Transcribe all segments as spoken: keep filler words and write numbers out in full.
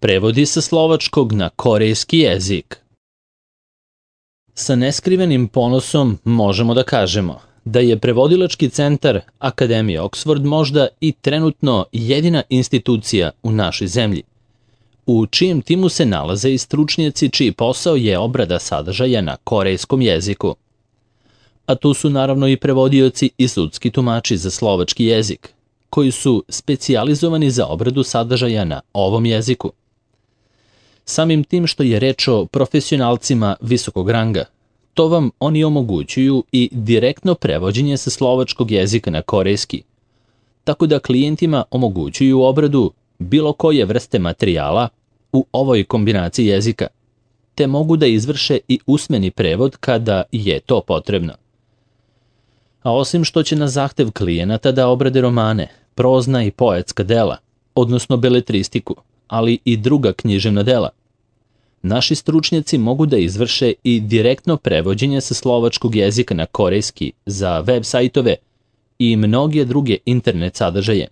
Prevodi sa slovačkog na korejski jezik. Sa neskrivenim ponosom možemo da kažemo da je prevodilački centar Akademije Oxford možda i trenutno jedina institucija u našoj zemlji, u čijem timu se nalaze i stručnjaci čiji posao je obrada sadržaja na korejskom jeziku. A tu su naravno i prevodioci i sudski tumači za slovački jezik, koji su specijalizovani za obradu sadržaja na ovom jeziku. Samim tim što je reč o profesionalcima visokog ranga, to vam oni omogućuju i direktno prevođenje sa slovačkog jezika na korejski, tako da klijentima omogućuju obradu bilo koje vrste materijala u ovoj kombinaciji jezika, te mogu da izvrše i usmeni prevod kada je to potrebno. A osim što će na zahtev klijenata da obrade romane, prozna i poetska dela, odnosno beletristiku, ali i druga književna dela, naši stručnjaci mogu da izvrše i direktno prevođenje sa slovačkog jezika na korejski za web sajtove i mnoge druge internet sadržaje,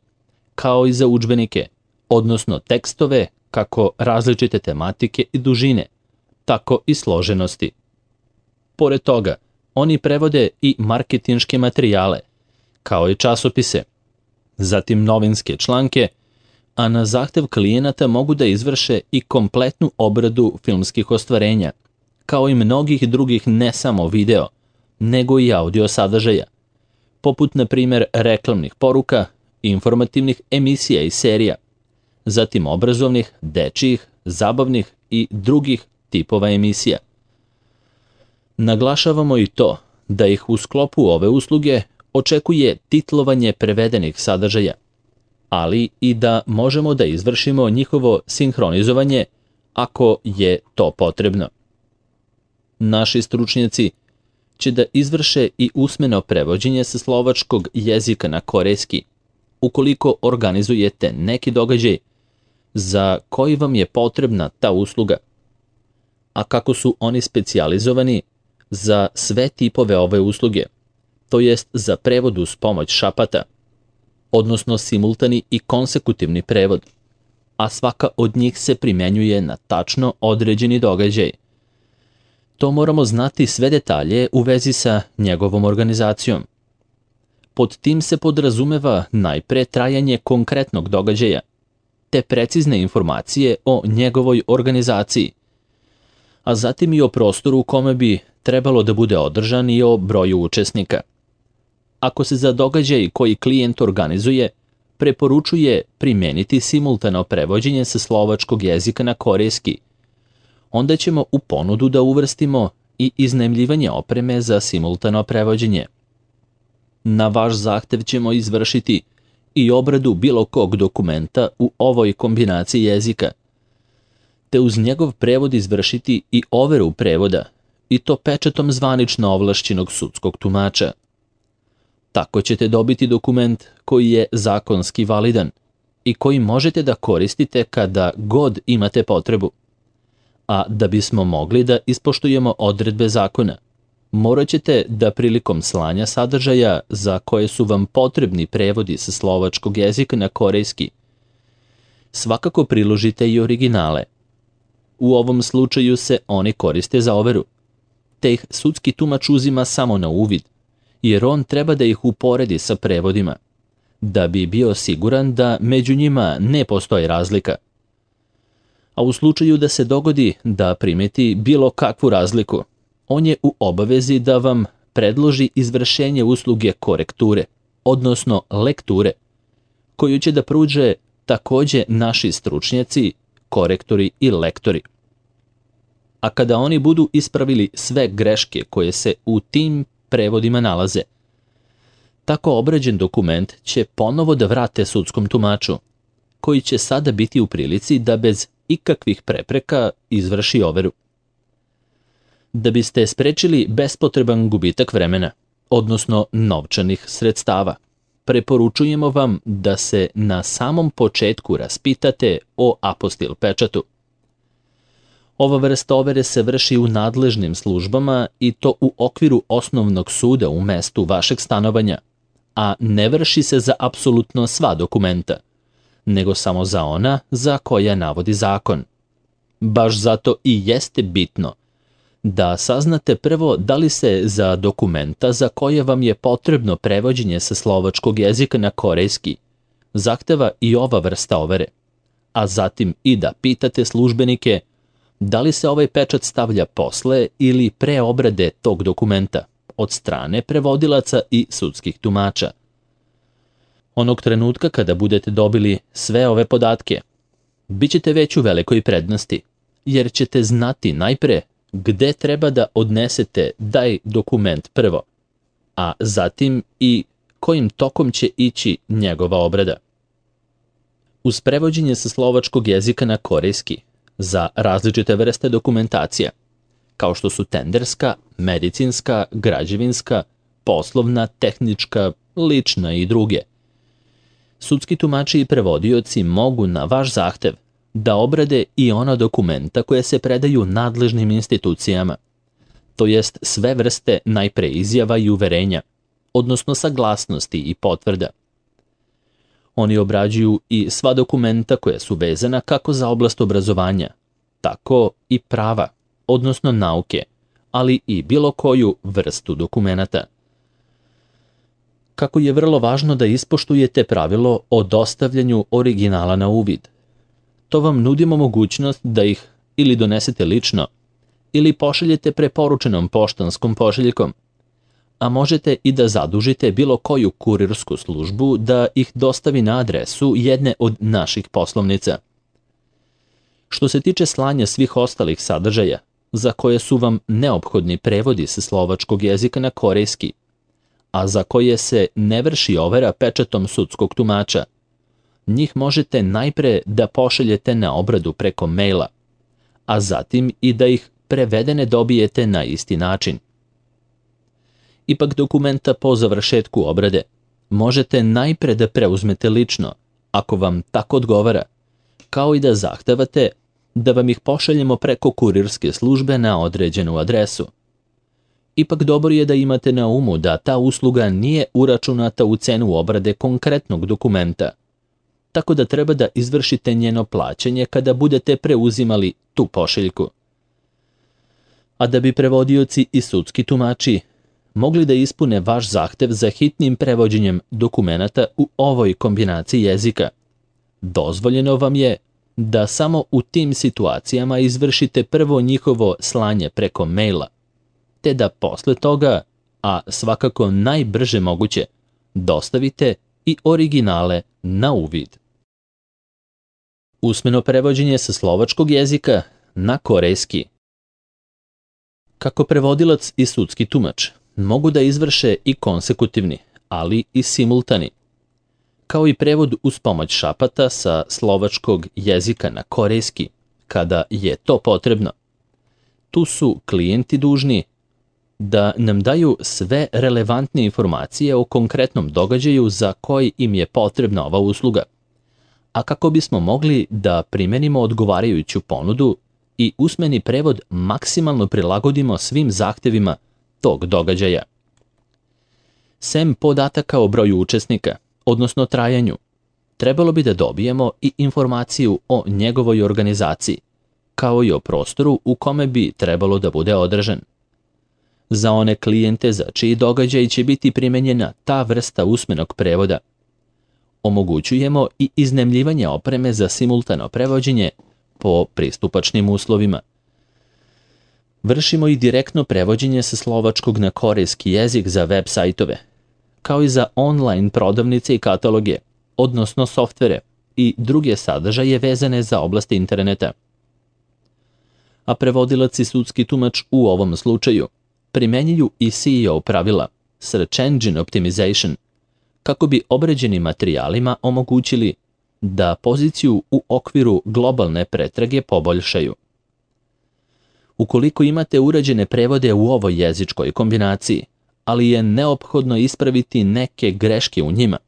kao i za udžbenike, odnosno tekstove kako različite tematike i dužine, tako i složenosti. Pored toga, oni prevode i marketinške materijale, kao i časopise, zatim novinske članke, a na zahtev klijenata mogu da izvrše i kompletnu obradu filmskih ostvarenja, kao i mnogih drugih ne samo video, nego i audio sadržaja, poput na primjer reklamnih poruka, informativnih emisija i serija, zatim obrazovnih, dečijih, zabavnih i drugih tipova emisija. Naglašavamo i to da ih u sklopu ove usluge očekuje titlovanje prevedenih sadržaja, ali i da možemo da izvršimo njihovo sinhronizovanje ako je to potrebno. Naši stručnjaci će da izvrše i usmeno prevođenje sa slovačkog jezika na korejski, ukoliko organizujete neki događaj za koji vam je potrebna ta usluga. A kako su oni specijalizovani za sve tipove ove usluge, to jest za prevod uz pomoć šapata, odnosno simultani i konsekutivni prevod, a svaka od njih se primenjuje na tačno određeni događaj. To moramo znati sve detalje u vezi sa njegovom organizacijom. Pod tim se podrazumeva najpre trajanje konkretnog događaja, te precizne informacije o njegovoj organizaciji, a zatim i o prostoru u kome bi trebalo da bude održan i o broju učesnika. Ako se za događaj koji klijent organizuje preporučuje primeniti simultano prevođenje sa slovačkog jezika na korejski, onda ćemo u ponudu da uvrstimo i iznajmljivanje opreme za simultano prevođenje. Na vaš zahtev ćemo izvršiti i obradu bilo kog dokumenta u ovoj kombinaciji jezika, te uz njegov prevod izvršiti i overu prevoda, i to pečatom zvanično ovlašćenog sudskog tumača. Tako ćete dobiti dokument koji je zakonski validan i koji možete da koristite kada god imate potrebu. A da bismo mogli da ispoštujemo odredbe zakona, morat ćete da prilikom slanja sadržaja za koje su vam potrebni prevodi sa slovačkog jezika na korejski, svakako priložite i originale. U ovom slučaju se oni koriste za overu, te ih sudski tumač uzima samo na uvid, jer on treba da ih uporedi sa prevodima, da bi bio siguran da među njima ne postoji razlika. A u slučaju da se dogodi da primeti bilo kakvu razliku, on je u obavezi da vam predloži izvršenje usluge korekture, odnosno lekture, koju će da pruže takođe naši stručnjaci, korektori i lektori. A kada oni budu ispravili sve greške koje se u tim prevodima nalaze, tako obrađen dokument će ponovo da vrate sudskom tumaču, koji će sada biti u prilici da bez ikakvih prepreka izvrši overu. Da biste sprečili bespotreban gubitak vremena, odnosno novčanih sredstava, preporučujemo vam da se na samom početku raspitate o apostil pečatu. Ova vrsta overe se vrši u nadležnim službama i to u okviru osnovnog suda u mestu vašeg stanovanja, a ne vrši se za apsolutno sva dokumenta, nego samo za ona za koja navodi zakon. Baš zato i jeste bitno da saznate prvo da li se za dokumenta za koje vam je potrebno prevođenje sa slovačkog jezika na korejski zahteva i ova vrsta overe, a zatim i da pitate službenike da li se ovaj pečat stavlja posle ili pre obrade tog dokumenta od strane prevodilaca i sudskih tumača. Onog trenutka kada budete dobili sve ove podatke, bit ćete već u velikoj prednosti, jer ćete znati najpre gde treba da odnesete taj dokument prvo, a zatim i kojim tokom će ići njegova obrada. Uz prevođenje sa slovačkog jezika na korejski za različite vrste dokumentacija, kao što su tenderska, medicinska, građevinska, poslovna, tehnička, lična i druge, sudski tumači i prevodioci mogu na vaš zahtev da obrade i ona dokumenta koje se predaju nadležnim institucijama, to jest sve vrste najpre izjava i uverenja, odnosno saglasnosti i potvrda. Oni obrađuju i sva dokumenta koja su vezana kako za oblast obrazovanja, tako i prava, odnosno nauke, ali i bilo koju vrstu dokumenata. Kako je vrlo važno da ispoštujete pravilo o dostavljanju originala na uvid. To vam nudimo mogućnost da ih ili donesete lično, ili pošaljete preporučenom poštanskom pošiljkom, a možete i da zadužite bilo koju kurirsku službu da ih dostavi na adresu jedne od naših poslovnica. Što se tiče slanja svih ostalih sadržaja, za koje su vam neophodni prevodi sa slovačkog jezika na korejski, a za koje se ne vrši overa pečatom sudskog tumača, njih možete najpre da pošaljete na obradu preko maila, a zatim i da ih prevedene dobijete na isti način. Ipak dokumenta po završetku obrade možete najpre da preuzmete lično, ako vam tako odgovara, kao i da zahtevate da vam ih pošaljemo preko kurirske službe na određenu adresu. Ipak dobro je da imate na umu da ta usluga nije uračunata u cenu obrade konkretnog dokumenta, tako da treba da izvršite njeno plaćanje kada budete preuzimali tu pošiljku. A da bi prevodioci i sudski tumači mogli da ispune vaš zahtev za hitnim prevođenjem dokumenata u ovoj kombinaciji jezika, dozvoljeno vam je da samo u tim situacijama izvršite prvo njihovo slanje preko maila, te da posle toga, a svakako najbrže moguće, dostavite i originale na uvid. Usmeno prevođenje sa slovačkog jezika na korejski. Kako prevodilac i sudski tumač mogu da izvrše i konsekutivni, ali i simultani, kao i prevod uz pomoć šapata sa slovačkog jezika na korejski, kada je to potrebno. Tu su klijenti dužni da nam daju sve relevantne informacije o konkretnom događaju za koji im je potrebna ova usluga, a kako bismo mogli da primenimo odgovarajuću ponudu i usmeni prevod maksimalno prilagodimo svim zahtevima tog događaja. Sem podataka o broju učesnika, odnosno trajanju, trebalo bi da dobijemo i informaciju o njegovoj organizaciji, kao i o prostoru u kome bi trebalo da bude održan. Za one klijente za čiji događaj će biti primenjena ta vrsta usmenog prevoda, omogućujemo i iznajmljivanje opreme za simultano prevođenje po pristupačnim uslovima. Vršimo i direktno prevođenje sa slovačkog na korejski jezik za web sajtove, kao i za online prodavnice i kataloge, odnosno softvere i druge sadržaje vezane za oblasti interneta. A prevodilac i sudski tumač u ovom slučaju primenjuju i S E O pravila, Search Engine Optimization, kako bi obrađenim materijalima omogućili da poziciju u okviru globalne pretrage poboljšaju. Ukoliko imate urađene prevode u ovoj jezičkoj kombinaciji, ali je neophodno ispraviti neke greške u njima,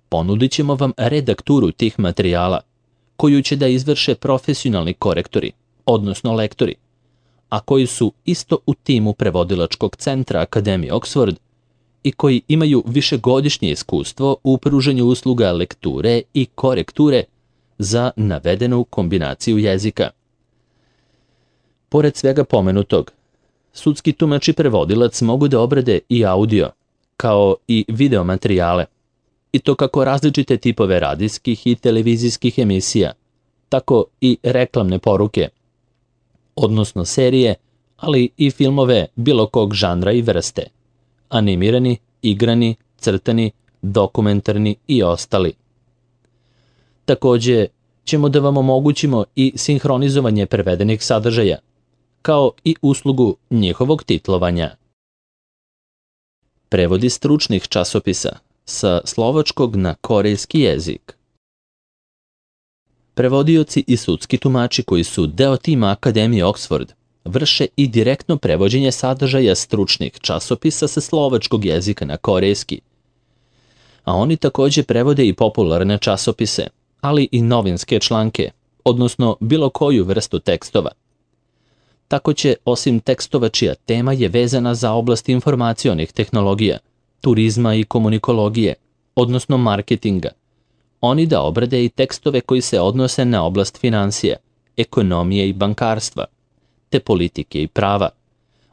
ponudit ćemo vam redakturu tih materijala, koju će da izvrše profesionalni korektori, odnosno lektori, a koji su isto u timu prevodilačkog centra Akademije Oxford i koji imaju višegodišnje iskustvo u pružanju usluga lekture i korekture za navedenu kombinaciju jezika. Pored svega pomenutog, sudski tumač i prevodilac mogu da obrade i audio, kao i video materijale, i to kako različite tipove radijskih i televizijskih emisija, tako i reklamne poruke, odnosno serije, ali i filmove bilo kog žanra i vrste, animirani, igrani, crtani, dokumentarni i ostali. Takođe ćemo da vam omogućimo i sinhronizovanje prevedenih sadržaja, kao i uslugu njihovog titlovanja. Prevodi stručnih časopisa sa slovačkog na korejski jezik. Prevodioci i sudski tumači koji su deo tima Akademije Oxford vrše i direktno prevođenje sadržaja stručnih časopisa sa slovačkog jezika na korejski. A oni takođe prevode i popularne časopise, ali i novinske članke, odnosno bilo koju vrstu tekstova. Tako će, osim tekstova čija tema je vezana za oblast informacionih tehnologija, turizma i komunikologije, odnosno marketinga, oni da obrade i tekstove koji se odnose na oblast financija, ekonomije i bankarstva, te politike i prava,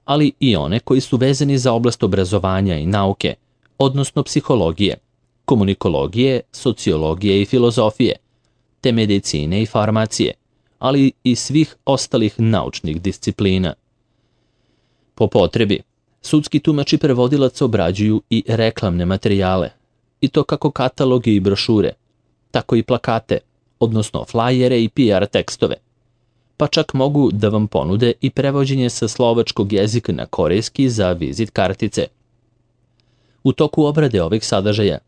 ali i one koji su vezani za oblast obrazovanja i nauke, odnosno psihologije, komunikologije, sociologije i filozofije, te medicine i farmacije, ali i svih ostalih naučnih disciplina. Po potrebi, sudski tumač i prevodilac obrađuju i reklamne materijale, i to kako kataloge i brošure, tako i plakate, odnosno flajere i P R tekstove, pa čak mogu da vam ponude i prevođenje sa slovačkog jezika na korejski za vizit kartice. U toku obrade ovih sadržaja,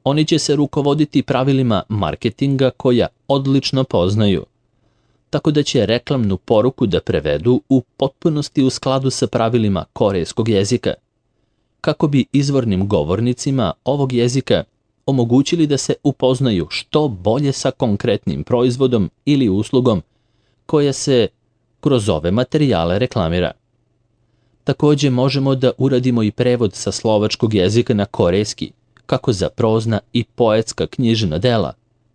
oni će se rukovoditi pravilima marketinga koja odlično poznaju, tako da će reklamnu poruku da prevedu u potpunosti u skladu sa pravilima korejskog jezika, kako bi izvornim govornicima ovog jezika omogućili da se upoznaju što bolje sa konkretnim proizvodom ili uslugom koja se kroz ove materijale reklamira. Takođe možemo da uradimo i prevod sa slovačkog jezika na korejski, kako za prozna i poetska književna dela,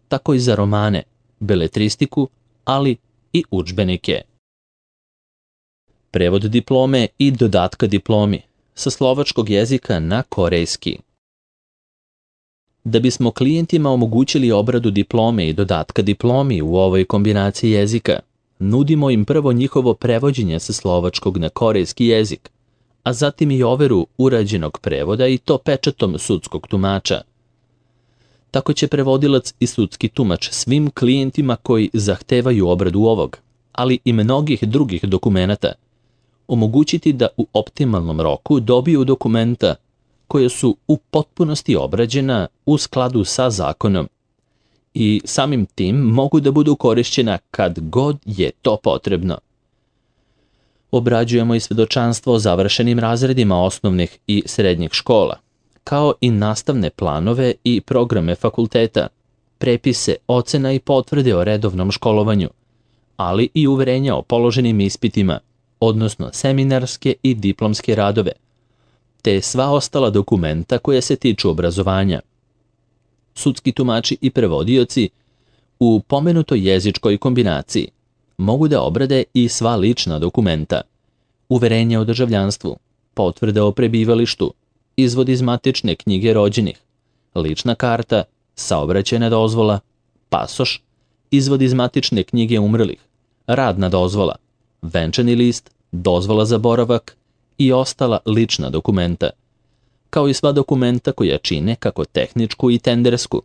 tako i za romane, beletristiku, ali i udžbenike. Prevod diplome i dodatka diplomi sa slovačkog jezika na korejski. Da bismo klijentima omogućili obradu diplome i dodatka diplomi u ovoj kombinaciji jezika, nudimo im prvo njihovo prevođenje sa slovačkog na korejski jezik, a zatim i overu urađenog prevoda i to pečatom sudskog tumača. Tako će prevodilac i sudski tumač svim klijentima koji zahtevaju obradu ovog, ali i mnogih drugih dokumenata, omogućiti da u optimalnom roku dobiju dokumenta koje su u potpunosti obrađena u skladu sa zakonom i samim tim mogu da budu korišćena kad god je to potrebno. Obrađujemo i svedočanstvo o završenim razredima osnovnih i srednjih škola, kao i nastavne planove i programe fakulteta, prepise, ocena i potvrde o redovnom školovanju, ali i uverenja o položenim ispitima, odnosno seminarske i diplomske radove, te sva ostala dokumenta koja se tiču obrazovanja. Sudski tumači i prevodioci u pomenutoj jezičkoj kombinaciji mogu da obrade i sva lična dokumenta, uverenja o državljanstvu, potvrde o prebivalištu, izvod iz matične knjige rođenih, lična karta, saobraćajna dozvola, pasoš, izvod iz matične knjige umrlih, radna dozvola, venčani list, dozvola za boravak i ostala lična dokumenta, kao i sva dokumenta koja čine kako tehničku i tendersku,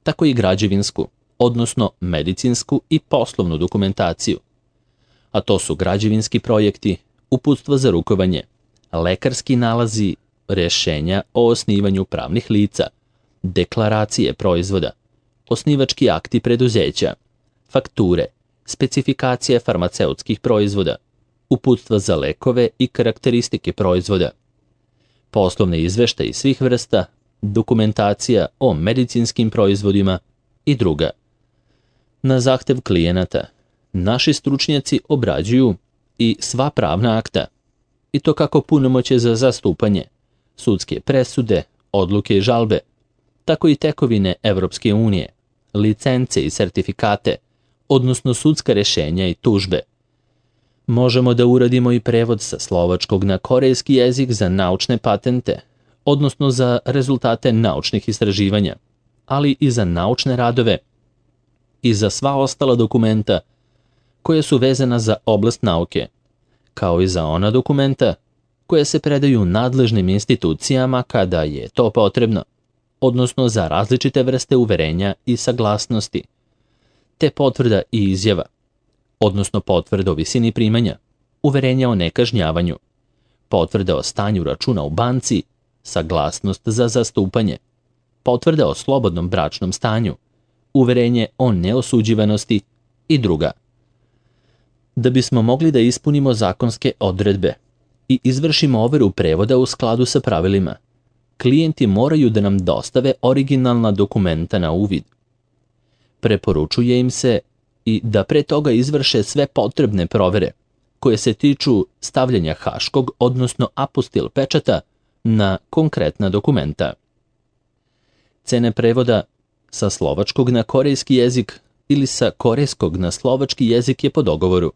tako i građevinsku, odnosno medicinsku i poslovnu dokumentaciju. A to su građevinski projekti, uputstva za rukovanje, lekarski nalazi, rešenja o osnivanju pravnih lica, deklaracije proizvoda, osnivački akti preduzeća, fakture, specifikacije farmaceutskih proizvoda, uputstva za lekove i karakteristike proizvoda, poslovne izveštaje svih vrsta, dokumentacija o medicinskim proizvodima i druga. Na zahtev klijenata, naši stručnjaci obrađuju i sva pravna akta, i to kako punomoćje za zastupanje, sudske presude, odluke i žalbe, tako i tekovine Evropske unije, licence i sertifikate, odnosno sudska rješenja i tužbe. Možemo da uradimo i prevod sa slovačkog na korejski jezik za naučne patente, odnosno za rezultate naučnih istraživanja, ali i za naučne radove i za sva ostala dokumenta koja su vezana za oblast nauke, kao i za ona dokumenta koja se predaju nadležnim institucijama kada je to potrebno, odnosno za različite vrste uverenja i saglasnosti, te potvrda i izjava, odnosno potvrda o visini primanja, uverenja o nekažnjavanju, potvrda o stanju računa u banci, saglasnost za zastupanje, potvrda o slobodnom bračnom stanju, uverenje o neosuđivanosti i druga. Da bismo mogli da ispunimo zakonske odredbe i izvršimo overu prevoda u skladu sa pravilima, klijenti moraju da nam dostave originalna dokumenta na uvid. Preporučuje im se i da pre toga izvrše sve potrebne provere koje se tiču stavljanja haškog, odnosno apostil pečata na konkretna dokumenta. Cene prevoda sa slovačkog na korejski jezik ili sa korejskog na slovački jezik je po dogovoru.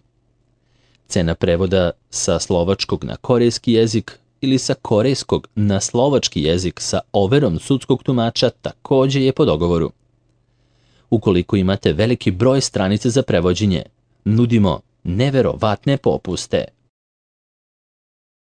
Cena prevoda sa slovačkog na korejski jezik ili sa korejskog na slovački jezik sa overom sudskog tumača takođe je po dogovoru. Ukoliko imate veliki broj stranice za prevođenje, nudimo neverovatne popuste.